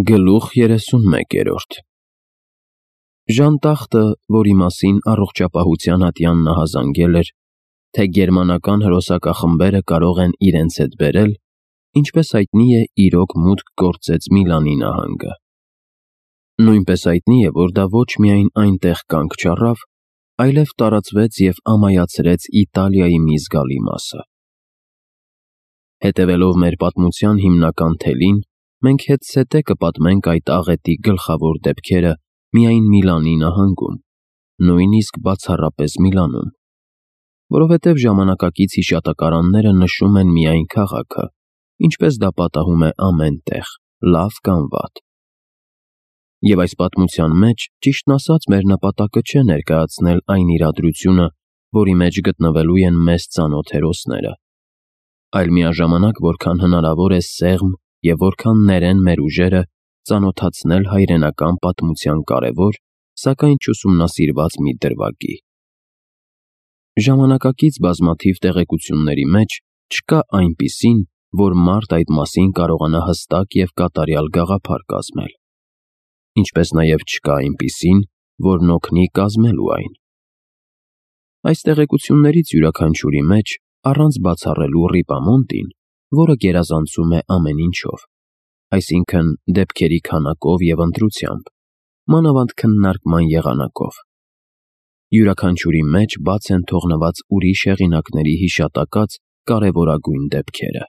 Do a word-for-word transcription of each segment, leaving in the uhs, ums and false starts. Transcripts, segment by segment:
Գլուխ երեսունմեկերորդ Ժանտախտը, որի մասին առողջապահության ատյան նա հազանգել էր, թե գերմանական հրոսակախմբերը կարող են իրենց հետ բերել, ինչպես հայտնի է, իրոք մուտք գործեց Միլանի նահանգը։ Նույնպես հայտնի է, որ դա ոչ միայն այնտեղ կանգ չառավ, այլև տարածվեց և ամայացրեց Իտալիայի մի զգալի մասը։ Հետևելով մեր պատմության հիմնական թելին, մենք հետզհետե կպատմենք այդ աղետի գլխավոր դեպքերը միայն Միլանի նահանգում, նույնիսկ բացառապես Միլանում, որովհետև ժամանակակից հիշատակարանները նշում են միայն քաղաքը, ինչպես դա պատահում է ամեն տեղ, լավ կամ վատ։ Եվ այս պատմության մեջ, ճիշտն ասած, մեր նպատակը չէ ներկայացնել այն իրադրությունը, որի մեջ գտնվելու են մեզ ծանոթ հերոսները, այլ միաժամանակ, որքան հնարավոր է սեղմ և որքան ներեն մեր ուժերը ծանոթացնել հայրենական պատմության կարևոր, սակայն չուսումնասիրված մի դրվագի։ Ժամանակակից բազմաթիվ տեղեկությունների մեջ չկա այնպիսին, որ մարդ այդ մասին կարողանա հստակ և կատարյալ գաղափար կազմել, ինչպես նաև չկա այնպիսին, որն օգնի կազմելու այն։ Այս տեղեկություններից յուրաքանչյուրի մեջ, առանց բացառելու Ռիպամոնտին, որը գերազանցում է ամեն ինչով, այսինքն դեպքերի քանակով և ընտրությամբ, մանավանդ քննարկման եղանակով։ Յուրաքանչյուրի մեջ բաց են թողնված ուրիշ հեղինակների հիշատակած կարևորագույն դեպքերը։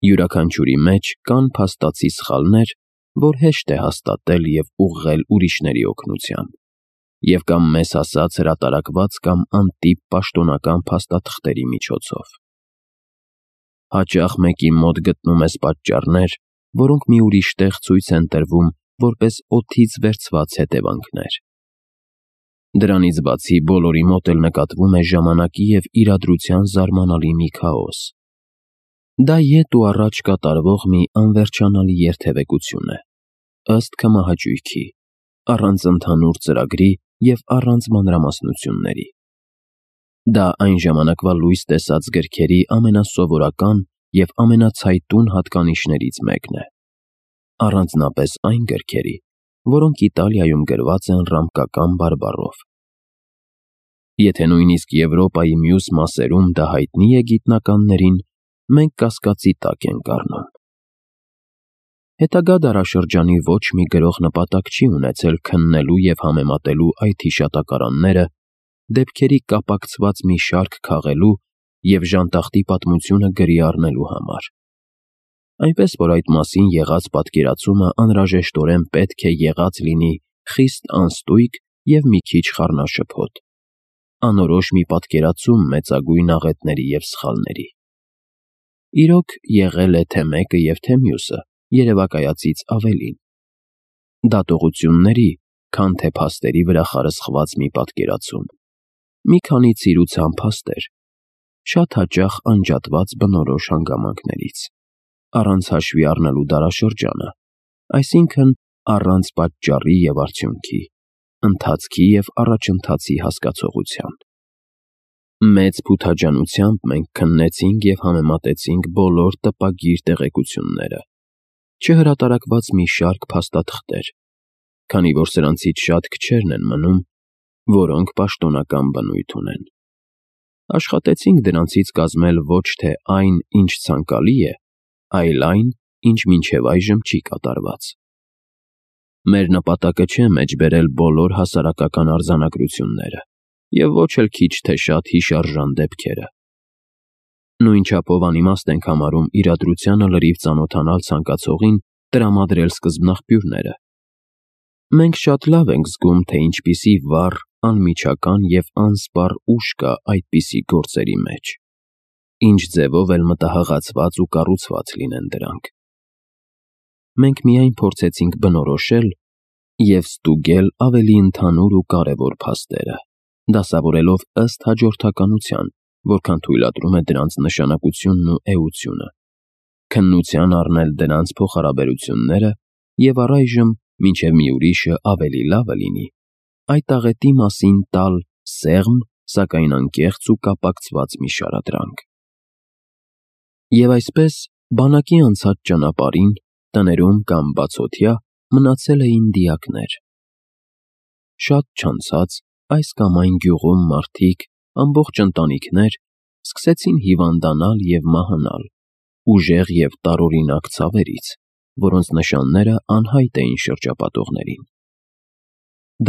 Յուրաքանչյուրի մեջ կան փաստացի սխալներ, որ հեշտ է հաստատել և ուղղել ուրիշների օգնությամբ, և կամ մեզ հասած հրատարակված կամ անտիպ պաշտոնական փաստաթղթերի միջոցով։ Հաճախ մեկի մոտ գտնում ես պատճառներ, որոնք մի ուրիշ տեղ ցույց են տրվում որպես օդից վերցված հետևանքներ։ Դրանից բացի բոլորի մոտ էլ նկատվում է ժամանակի և իրադրության զարմանալի մի քաոս։ Դա ետ ու առաջ կատարվող մի անվերջանալի երթևեկություն է, ըստ քմահաճույքի, առանց ընդհանուր ծրագրի և առանց մանրամասնությունների։ Դա այն ժամանակվա լույս տեսած գրքերի ամենասովորական և ամենացայտուն հատկանիշներից մեկն է, առանձնապես այն գրքերի, որոնք Իտալիայում գրված են ռամկական բարբառով։ Եթե նույնիսկ Եվրոպայի մյուս մասերում դա հայտնի է գիտնականներին, մենք կասկածի տակ ենք առնում։ Հետագա դարաշրջանի ոչ մի գրող նպատակ չի ունեցել քննելու և համեմատելու այդ հիշատակարանները, դեպքերի կապակցված մի շարք քաղելու և ժանտախտի պատմությունը գրի առնելու համար։ Այնպես որ այդ մասին եղած պատկերացումը անհրաժեշտորեն պետք է եղած լինի խիստ անստույկ և մի քիչ խառնաշփոթ, անորոշ մի պատկերացում մեծագույն աղետների և սխալների։ Իրոք, եղել է թե մեկը և թե մյուսը, երևակայածից ավելին։ Դատողությունների, քան թե փաստերի վրա խարսխված մի պատկերացում, մի քանի ցիրուցան փաստեր, շատ հաճախ անջատված բնորոշ հանգամանքներից, առանց հաշվի առնելու դարաշրջանը, այսինքն առանց պատճառի և արդյունքի, ընթացքի և առաջընթացի հասկացողության։ Մեծ փութաջանությամբ մենք քննեցինք և համեմատեցինք բոլոր տպագիր տեղեկությունները, չհրատարակված մի շարք փաստաթղթեր, քանի որ սրանցից շատ քչերն են մնում, որոնք պաշտոնական բնույթ ունեն։ Աշխատեցինք դրանցից կազմել ոչ թե այն, ինչ ցանկալի է, այլ այն, ինչ մինչև այժմ չի կատարված։ Մեր նպատակը չէ մեջբերել բոլոր հասարակական արձանագրությունները և ոչ էլ քիչ թե շատ հիշարժան դեպքերը։ Նույն չափով անիմաստ ենք համարում իրադրությանը լրիվ ծանոթանալ ցանկացողին տրամադրել սկզբնաղբյուրները։ Մենք շատ լավ ենք զգում, թե ինչպիսի վառ, անմիջական և անսպառ ուժ կա այդպիսի գործերի մեջ, ինչ ձևով էլ մտահղացված ու կառուցված լինեն դրանք։ Մենք միայն փորձեցինք բնորոշել և ստուգել ավելի ընդհանուր ու կարևոր փաստերը, դասավորելով ըստ հաջորդականության, որքան թույլատրում է դրանց նշանակությունն ու էությունը, քննության առնել դրանց փոխհարաբերությունները և առայժմ, մինչև մի ուրիշը ավելի լավը լինի, այդ աղետի մասին տալ սեղմ, սակայն անկեղծ ու կապակցված մի շարադրանք։ Եվ այսպես, բանակի անցած ճանապարհին, Տներում կամ բացօթյա մնացել էին դիակներ։ Շատ չանցած այս կամ այն գյուղում մարդիկ, ամբողջ ընտանիքներ, սկսեցին հիվանդանալ և մահանալ, ուժեղ և տարօրինակ ցավերից, որոնց նշանները անհայտ էին շրջապատողներին։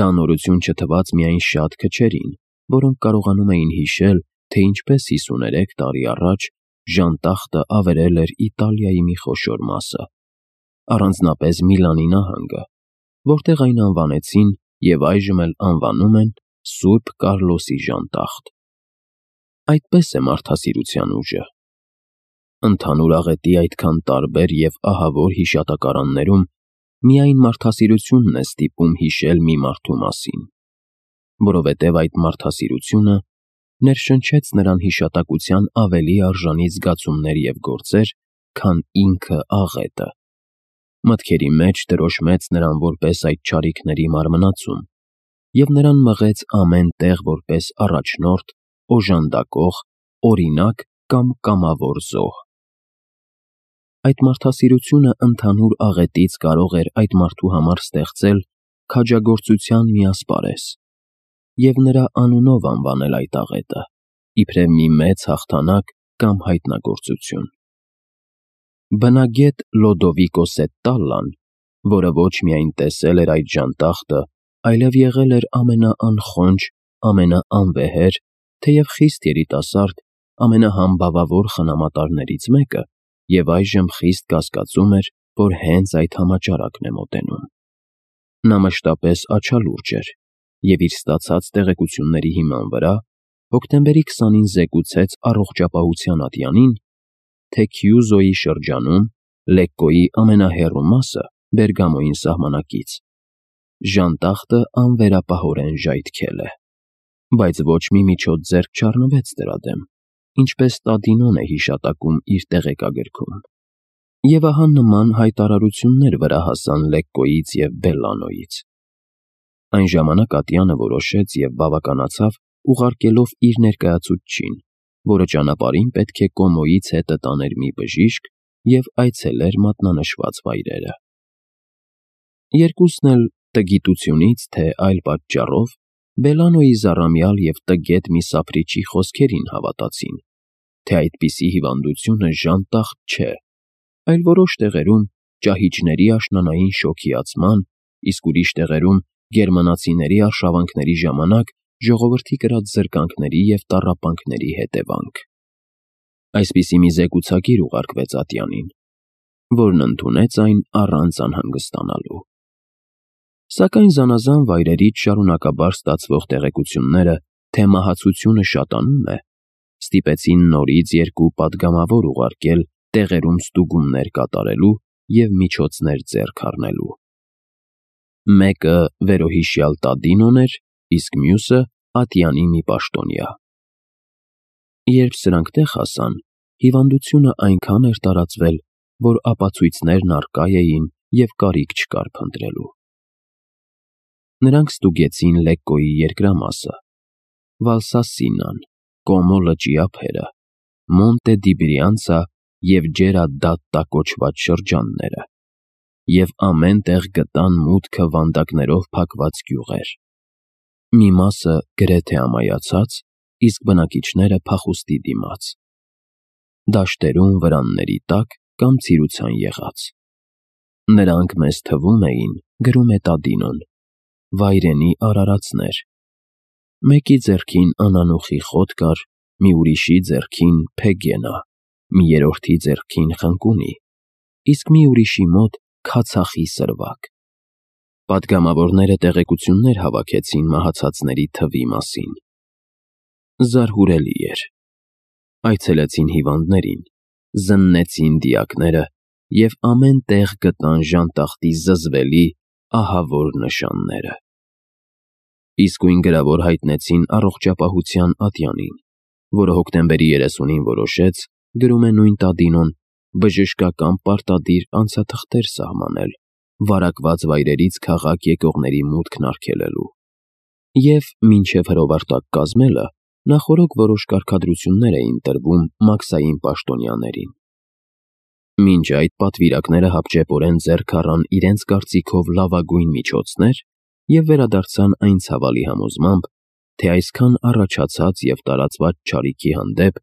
Դա նորություն չթվաց միայն շատ քչերին, որոնք կարողանում էին հիշել, թե ինչպես հիսուներեք տարի առաջ ժանտախտը ավերել էր Իտալիայի մի խոշոր մասը, առանձնապես Միլանի նահանգը, որտեղ այն անվանեցին և այժմ էլ անվանում են Սուրբ Կառլոսի ժանտախտ։ Այդպես է մարդասիրության ուժը։ Ընդհանուր աղետի այդքան տարբեր և ահավոր հիշատակարաններում միայն մարդասիրությունն է ստիպում հիշել մի մարդու մասին, որովհետև այդ մարդասիրությունը ներշնչեց նրան հիշատակության ավելի արժանի զգացումներ և գործեր, քան ինքը աղետը։ Մտքերի մեջ դրոշմեց նրան որպես այդ չարիքների մարմնացում և նրան մղեց ամեն տեղ որպես առաջնորդ, օժանդակող, օրինակ կամ կամավոր զոհ։ Այդ մարդասիրությունը ընդհանուր աղետից կարող էր այդ մարդու համար ստեղծել քաջագործության մի ասպարեզ և նրա անունով անվանել այդ աղետը, իբրև մի մեծ հաղթանակ կամ հայտնագործություն։ Բնագետ Լոդովիկո Սետտալլան, որը ոչ միայն տեսել էր այդ ժանտախտը, այլև եղել էր ամենաանխոնջ, ամենաանվեհեր, թեև խիստ երիտասարդ, ամենահամբավավոր խնամատարներից մեկը և այժմ խիստ կասկածում էր, որ հենց այդ համաճարակն է մոտենում։ Նա մշտապես աչալուրջ էր և իր ստացած տեղեկությունների հիման վրա հոկտեմբերի քսանին զեկուցեց առողջապահության ատյանին, թե Քյուզոյի շրջանում, Լեկկոյի ամենահեռու մասը Բերգամոյին սահմանակից, ժանտախտը անվերապահորեն ժայթքել է, բայց ոչ մի միջոց ձեռք չառնվեց դրա դեմ, ինչպես Տադինոն է հիշատակում իր տեղեկագրքում։ Եվ ահա նման հայտարարություններ վրա հասան Լեկկոյից և Բելլանոյից։ Այն ժամանակ ատյանը որոշեց և բավականացավ ուղարկելով իր ներկայացուցչին, որը ճանապարհին պետք է Կոմոյից հետը տաներ մի բժիշկ և այցելեր մատնանշված վայրերը։ Երկուսն էլ տգիտությունից, թե այլ պատճառով, Բելլանոյի զառամյալ և տգետ մի սափրիչի խոսքերին հավատացին, թե այդպիսի հիվանդությունը ժանտախտ չէ, այլ որոշ տեղերում ճահիճների աշնանային շոգիացման, իսկ ուրիշ տեղերում գերմանացիների արշավանքների ժամանակ ժողովրդի կրած զրկանքների և տառապանքների հետևանք։ Այսպիսի մի զեկուցագիր ուղարկվեց ատյանին, որն ընդունեց այն առանց անհանգստանալու։ Սակայն զանազան վայրերից շարունակաբար ստացվող տեղեկությունները, թե մահացությունը շատանում է, ստիպեցին նորից երկու պատգամավոր ուղարկել տեղերում ստուգումներ կատարելու և միջոցներ ձեռք առնելու։ Մեկը վերոհիշյալ Տադինոն էր, իսկ մյուսը ատյանի մի պաշտոնյա։ Երբ սրանք տեղ հասան, հիվանդությունը այնքան էր տարածվել, որ ապացույցներն առկա էին և կարիք չկար փնտրելու։ Նրանք ստուգեցին Լեկկոյի երկրամասը, Վալսասինան, Կոմո լճի ափերը, Մոնտե դի Բրիանցա և Ջերա դ'Ատտա կոչված շրջանները և ամեն տեղ գտան մուտքը վանդակներով փակված գյուղեր։ Մի մասը գրեթե ամայացած, իսկ բնակիչները փախուստի դիմաց։ Դաշտերում վրանների տակ կամ ցիրուցան եղած։ Նրանք մեզ թվում էին, գրում է Տադինոն, վայրենի արարածներ։ Մեկի ձեռքին անանուխի խոտ կար, մի ուրիշի ձեռքին փեգենա, մի երրորդի ձեռքին խնկունի, իսկ մի ուրիշի մոտ քացախի սրվակ։ Պատգամավորները տեղեկություններ հավաքեցին մահացածների թվի մասին։ Զարհուրելի էր։ Այցելեցին հիվանդներին, զննեցին դիակները և ամեն տեղ գտան ժանտախտի զզվելի, ահավոր նշանները։ Իսկույն գրավոր հայտնեցին առողջապահության ատյանին, որը հոկտեմբերի երեսունին որոշեց, գրում է նույն Տադինոն, բժշկական պարտադիր անցաթղթեր սահմանել, վարակված վայրերից քաղաք եկողների մուտքն արգելելու և, մինչև հրովարտակ կազմելը, նախօրոք որոշ կարգադրություններ էին տրվում մաքսային պաշտոնյաներին։ Մինչ այդ պատվիրակները հապճեպորեն ձեռք առան իրենց կարծիքով լավագույն միջոցներ և վերադարձան այն ցավալի համոզմամբ, թե այսքան առաջացած և տարածված չարիքի հանդեպ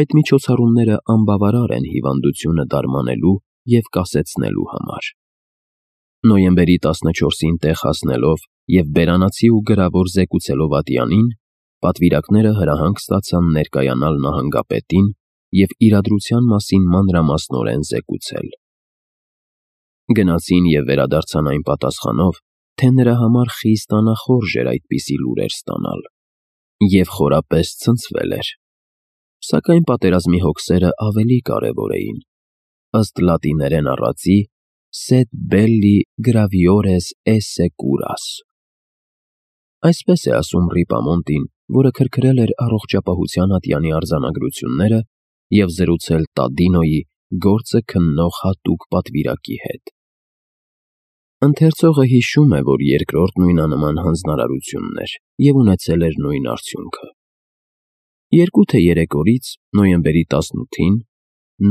այդ միջոցառումները անբավարար են հիվանդությունը դարմանելու և կասեցնելու համար։ Նոյեմբերի տասնչորսին տեղ հասնելով և բերանացի ու գրավոր զեկուցելով ատյանին, պատվիրակները հրահանգ ստացան ներկայանալ նահանգապետին և իրադրության մասին մանրամասնորեն զեկուցել։ Գնացին և վերադարձան այն պատասխանով, թե նրա համար խիստ անախորժ էր այդպիսի լուրեր ստանալ և խորապես ցնցվել էր։ Սակայն պատերազմի հոգսերը ավելի կարևոր էին, ըստ լատիներեն առածի «Sed belli graviores esse curas»։ Այսպես է ասում Ռիպամոնտին, որը քրքրել էր առողջապահության ատյանի արձանագրությունները և զրուցել Տադինոյի գործը քննող հատուկ պատվիրակի հետ։ Ընթերցողը հիշում է, որ երկրորդ նույնանման հանձնարարությունն էր և ունեցել էր նույն արդյունքը։ Երկու թե երեք օրից, նոյեմբերի տասնութին,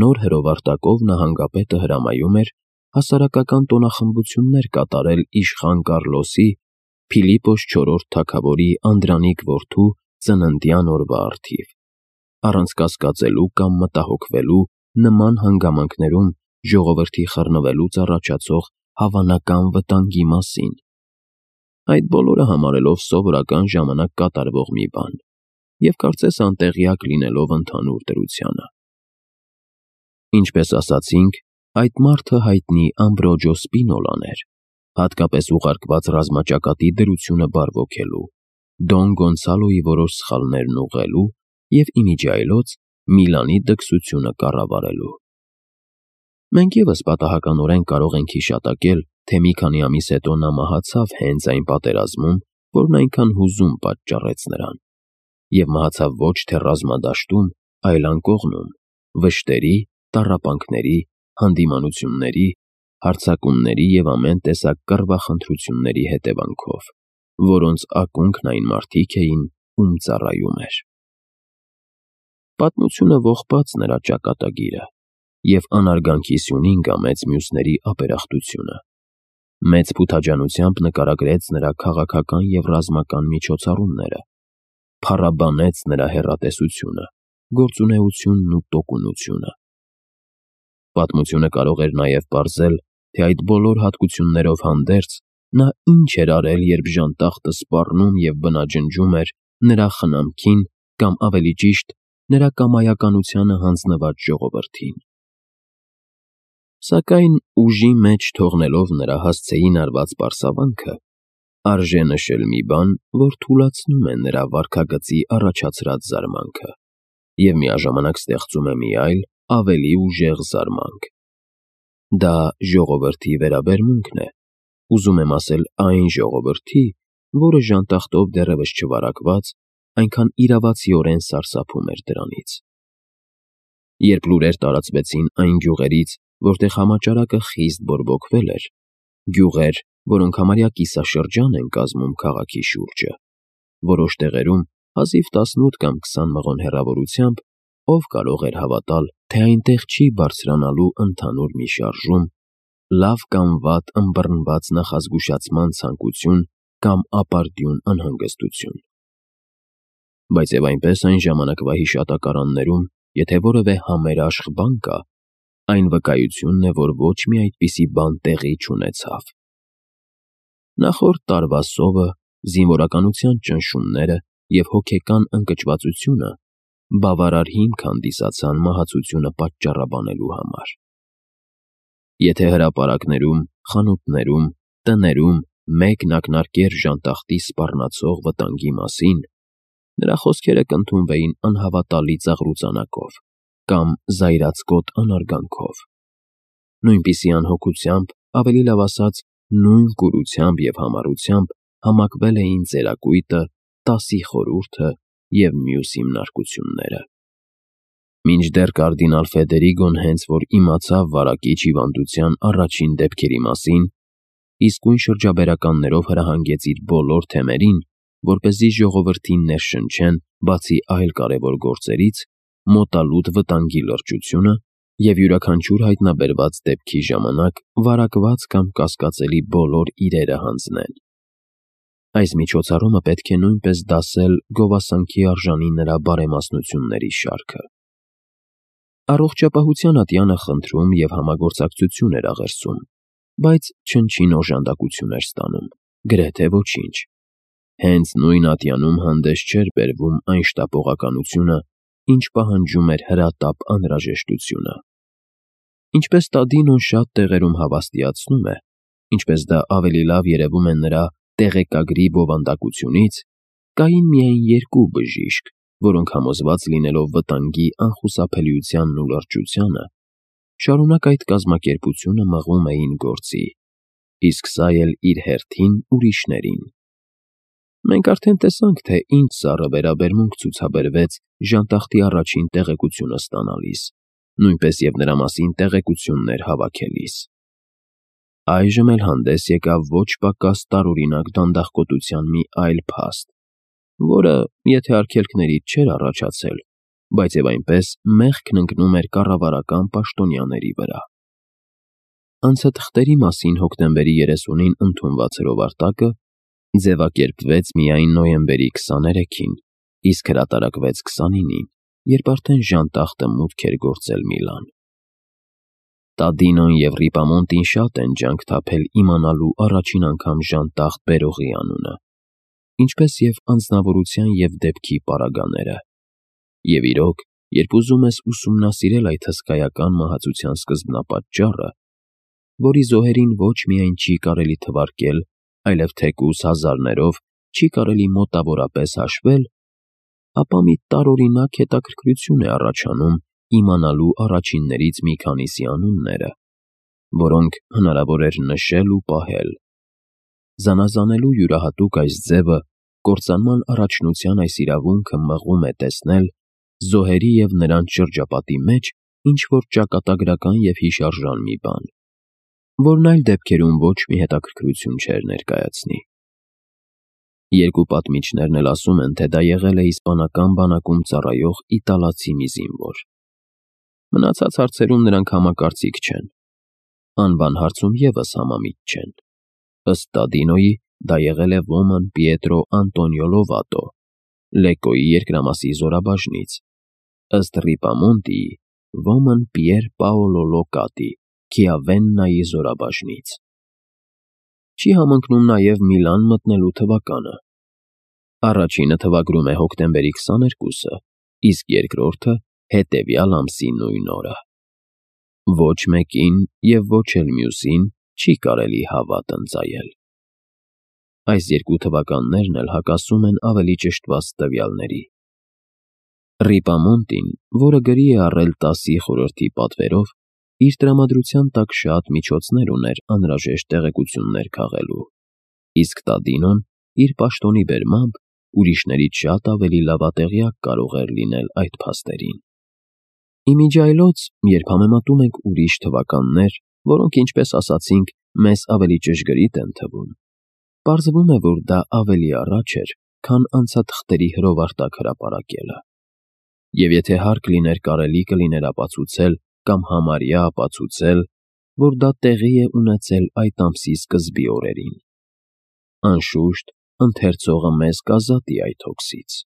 նոր հրովարտակով նահանգապետը հրամայում էր հասարակական տոնախմբություններ կատարել իշխան Կառլոսի՝ Փիլիպոս չորրորդ թագավորի անդրանիկ որդու ծննդյան օրվա առթիվ, առանց կասկածելու կամ մտահոգվելու նման հանգամանքներում ժողովրդի խռնվելուց առաջացող հավանական վտանգի մասին, այդ բոլորը համարելով սովորական ժամանակ կատարվող մի բան և կարծես անտեղյակ լինելով ընդհանուր դրությանը։ Ինչպես ասացինք, այդ մարդը հայտնի Ամբրոջո Սպինոլան էր, հատկապես ուղարկված ռազմաճակատի դրությունը բարվոքելու, Դոն Գոնսալոյի որոշ սխալներն ուղղելու և իմիջիայլոց Միլանի դքսությունը կառավարելու։ Մենք ևս պատահականորեն կարող ենք հիշատակել, թե մի քանի ամիս հետո նա մահացավ հենց այն պատերազմում, որն այնքան հուզում պատճառեց նրան, և մահացավ ոչ թե ռազմադաշտում, այլ անկողնում, վշտերի, տառապանքների, հանդիմանությունների, հարձակումների և ամեն տեսակ կռվախնդրությունների հետևանքով, որոնց ակունքն այն մարդիկ էին, ում ծառայում էր։ Պատմությունը ողբաց նրա ճակատագիրը և անարգանքի սյունին կամեց մյուսների ապերախտությունը, մեծ փութաջանությամբ նկարագրեց նրա քաղաքական և ռազմական միջոցառումները, փառաբանեց նրա հեռատեսությունը, գործունեությունն ու տոկունությունը։ Պատմությունը կարող էր նաև պարզել, թե այդ բոլոր հատկություններով հանդերձ նա ինչ էր արել, երբ ժանտախտը սպառնում և բնաջնջում էր նրա խնամքին կամ, ավելի ճիշտ, նրա կամայականությանը հանձնված ժողովրդին։ Սակայն ուժի մեջ թողնելով նրա հասցեին արված պարսավանքը, արժե նշել մի բան, որ թուլացնում է նրա վարքագծի առաջացրած զարմանքը և միաժամանակ ստեղծում է մի այլ, ավելի ուժեղ զարմանք։ Դա ժողովրդի վերաբերմունքն է, ուզում եմ ասել այն ժողովրդի, որը ժանտախտով դեռևս չվարակված, այնքան իրավացիորեն սարսափում էր դրանից։ Երբ լուրեր տարածվեցին այն գյուղերից, որտեղ համաճարակը խիստ բորբոքվել էր, գյուղեր, որոնք համարյա կիսաշրջան են կազմում քաղաքի շուրջը, որոշ տեղերում հազիվ տասնութ կամ քսան մղոն հեռավորությամբ, ով կարող էր հավատալ, թե այնտեղ չի բարձրանալու ընդհանուր մի շարժում, լավ կամ վատ ըմբռնված նախազգուշացման ցանկություն կամ ապարդյուն անհանգստություն։ Բայց և այնպես այն ժամանակվա հիշատակարաններում, եթե որևէ համերաշխ բան կա, այն վկայությունն է, որ ոչ մի այդպիսի բան տեղի չունեցավ։ Նախորդ տարվա սովը, զինվորականության ճնշումները և հոգեկան ընկճվածությունը բավարար հիմք հանդիսացան մահացությունը պատճառաբանելու համար։ Եթե հրապարակներում, խանութներում, տներում մեկն ակնարկեր ժանտախտի սպառնացող վտանգի մասին, նրա խոսքերը կընդունվեին անհավատալի ծաղրուծանակով կամ զայրացկոտ անարգանքով։ Նույնպիսի անհոգությամբ, ավելի լավ ասած, նույն կուրությամբ և համառությամբ համակվել էին Ծերակույտը, Տասի խորհուրդը և մյուս հիմնարկությունները։ Մինչդեռ կարդինալ Ֆեդերիգոն հենց որ իմացավ վարակիչ հիվանդության առաջին դեպքերի մասին, իսկույն շրջաբերականներով հրահանգեց իր բոլոր թեմերին, որպեսզի ժողովրդին ներշնչեն, բացի այլ կարևոր գործերից, մոտալուտ վտանգի լրջությունը և յուրաքանչյուր հայտնաբերված դեպքի ժամանակ վարակված կամ կասկածելի բոլոր իրերը հանձնել։ Այս միջոցառումը պետք է նույնպես դասել գովասանքի արժանի նրա բարեմասնությունների շարքը։ Առողջապահության ատյանը խնդրում և համագործակցություն էր աղերսում, բայց չնչին օժանդակություն էր ստանում, գրեթե ոչինչ։ Հենց նույն ատյանում հանդես չէր բերվում այն շտապողականությունը, ինչ պահանջում էր հրատապ անհրաժեշտությունը։ Ինչպես Տադինոն շատ տեղերում հավաստիացնում է, ինչպես դա ավելի լավ երևում է նրա «տեղեկագրի» բովանդակությունից, կային միայն երկու բժիշկ, որոնք համոզված լինելով վտանգի անխուսափելիությանն ու լրջությանը, շարունակ այդ կազմակերպությունը մղում էին գործի, իսկ սա էլ իր հերթին ուրիշներին։ Մենք արդեն տեսանք, թե ինչ սառը վերաբերմունք ցուցաբերվեց ժանտախտի առաջին տեղեկությունը ստանալիս, նույնպես և նրա մասին տեղեկություններ հավաքելիս։ Այժմ էլ հանդես եկավ ոչ պակաս տարօրինակ դանդաղկոտության մի այլ փաստ, որը, եթե արգելքներից չէր առաջացել, բայց և այնպես մեղքն ընկնում էր կառավարական պաշտոնյաների վրա։ Անցաթղթերի մասին հոկտեմբերի երեսունին ընդունված հրովարտակը ձևակերպվեց միայն նոյեմբերի քսաներեքին, իսկ հրատարակվեց քսանինին, երբ արդեն ժանտախտը մուտք էր գործել Միլան։ Տադինոն և Ռիպամոնտին շատ են ջանք թափել իմանալու առաջին անգամ ժանտախտ բերողի անունը, ինչպես և անձնավորության և դեպքի պարագաները։ Եվ իրոք, երբ ուզում ես ուսումնասիրել այդ հսկայական մահացության սկզբնապատճառը, որի զոհերին ոչ միայն չի կարելի թվարկել, այլև թեկուզ հազարներով չի կարելի մոտավորապես հաշվել, ապա մի տարօրինակ հետաքրքրություն է առաջանում իմանալու առաջիններից մի քանիսի անունները, որոնք հնարավոր էր նշել ու պահել։ Զանազանելու յուրահատուկ այս ձևը կործանման առաջնության այս իրավունքը մղում է տեսնել զոհերի և նրանց շրջապատի մեջ ինչ-որ ճակատագրական և հիշարժան մի բան, որն այլ դեպքերում ոչ մի հետաքրքրություն չէր ներկայացնի։ Երկու պատմիչներն էլ ասում են, թե դա եղել է իսպանական բանակում ծառայող իտալացի մի զինվոր։ Մնացած հարցերում նրանք համակարծիք չեն։ Անվան հարցում ևս համամիտ չեն։ Ըստ Տադինոյի, դա եղել է ոման Պիետրո Անտոնիո Լովատո, Լեկկոյի երկրամասի զորաբաժնից, ըստ Ռիպամոնտիի՝ ոման Պիեր Պաոլո Լոկատի, Քիավեննայի զորաբաժնից։ Չի համընկնում նաև Միլան մտնելու թվականը։ Առաջինը թվագրում է հոկտեմբերի քսաներկուսը, իսկ երկրորդը՝ հետևյալ ամսի նույն օրը։ Ոչ մեկին և ոչ էլ մյուսին չի կարելի հավատ ընծայել։ Այս երկու թվականներն էլ հակասում են ավելի ճշտված տվյալների։ Ռիպամոնտին, որը գրի է առել տասի խորհրդի պատվերով, իր տրամադրության տակ շատ միջոցներ ուներ անհրաժեշտ տեղեկություններ քաղելու, իսկ Տադինոն, իր պաշտոնի բերմամբ, ուրիշներից շատ ավելի լավատեղյակ կարող էր լինել այդ փաստերին։ Ի միջի այլոց, երբ համեմատում ենք ուրիշ թվականներ, որոնք, ինչպես ասացինք, մեզ ավելի ճշգրիտ են թվում, պարզվում է, որ դա ավելի առաջ էր, քան անցաթղթերի հրովարտակ հրապարակելը։ Եվ եթե հարկ լիներ, կարելի կլիներ ապացուցել կամ համարյա ապացուցել, որ դա տեղի է ունեցել այդ ամսի սկզբի օրերին։ Անշուշտ, ընթերցողը մեզ կազատի այդ հոգսից։